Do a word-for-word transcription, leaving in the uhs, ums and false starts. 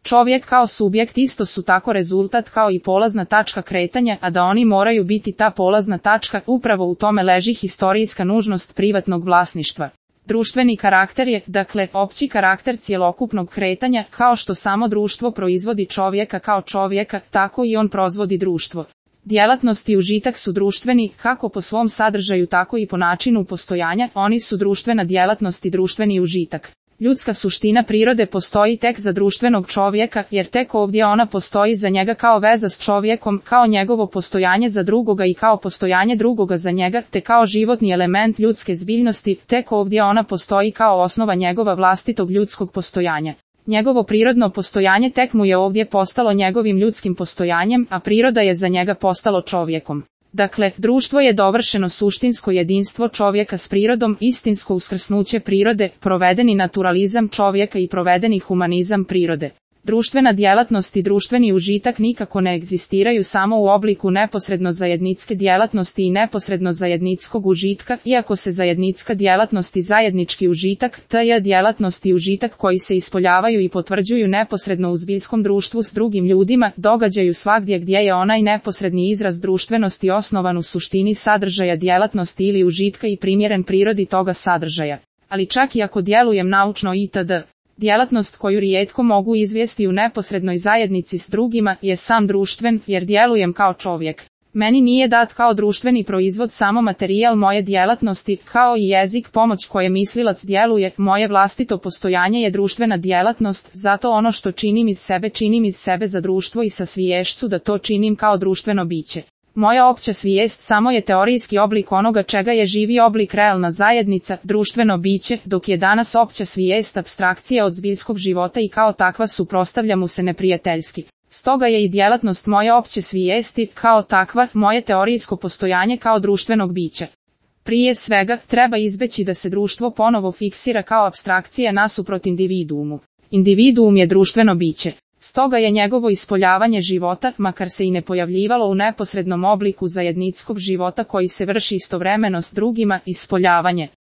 Čovjek kao subjekt isto su tako rezultat kao i polazna tačka kretanja, a da oni moraju biti ta polazna tačka, upravo u tome leži historijska nužnost privatnog vlasništva. Društveni karakter je, dakle, opći karakter cjelokupnog kretanja, kao što samo društvo proizvodi čovjeka kao čovjeka, tako i on proizvodi društvo. Djelatnost i užitak su društveni, kako po svom sadržaju tako i po načinu postojanja, oni su društvena djelatnost i društveni užitak. Ljudska suština prirode postoji tek za društvenog čovjeka, jer tek ovdje ona postoji za njega kao veza s čovjekom, kao njegovo postojanje za drugoga i kao postojanje drugoga za njega, te kao životni element ljudske zbiljnosti, tek ovdje ona postoji kao osnova njegova vlastitog ljudskog postojanja. Njegovo prirodno postojanje tek mu je ovdje postalo njegovim ljudskim postojanjem, a priroda je za njega postalo čovjekom. Dakle, društvo je dovršeno suštinsko jedinstvo čovjeka s prirodom, istinsko uskrsnuće prirode, provedeni naturalizam čovjeka i provedeni humanizam prirode. Društvena djelatnost i društveni užitak nikako ne egzistiraju samo u obliku neposredno zajedničke djelatnosti i neposredno zajedničkog užitka, iako se zajednička djelatnost i zajednički užitak, tj. djelatnost i užitak koji se ispoljavaju i potvrđuju neposredno u zbiljskom društvu s drugim ljudima, događaju svagdje gdje je onaj neposredni izraz društvenosti osnovan u suštini sadržaja djelatnosti ili užitka i primjeren prirodi toga sadržaja. Ali čak i ako djelujem naučno itd., djelatnost koju rijetko mogu izvesti u neposrednoj zajednici s drugima je sam društven, jer djelujem kao čovjek. Meni nije dat kao društveni proizvod samo materijal moje djelatnosti, kao i jezik pomoć koje mislilac djeluje, moje vlastito postojanje je društvena djelatnost, zato ono što činim iz sebe činim iz sebe za društvo i sa sviješću da to činim kao društveno biće. Moja opća svijest samo je teorijski oblik onoga čega je živi oblik realna zajednica, društveno biće, dok je danas opća svijest apstrakcija od zbiljskog života i kao takva suprotstavlja mu se neprijateljski. Stoga je i djelatnost moje opće svijesti, kao takva, moje teorijsko postojanje kao društvenog bića. Prije svega, treba izbeći da se društvo ponovo fiksira kao apstrakcija nasuprot individuumu. Individuum je društveno biće. Stoga je njegovo ispoljavanje života, makar se i ne pojavljivalo u neposrednom obliku zajedničkog života koji se vrši istovremeno s drugima, ispoljavanje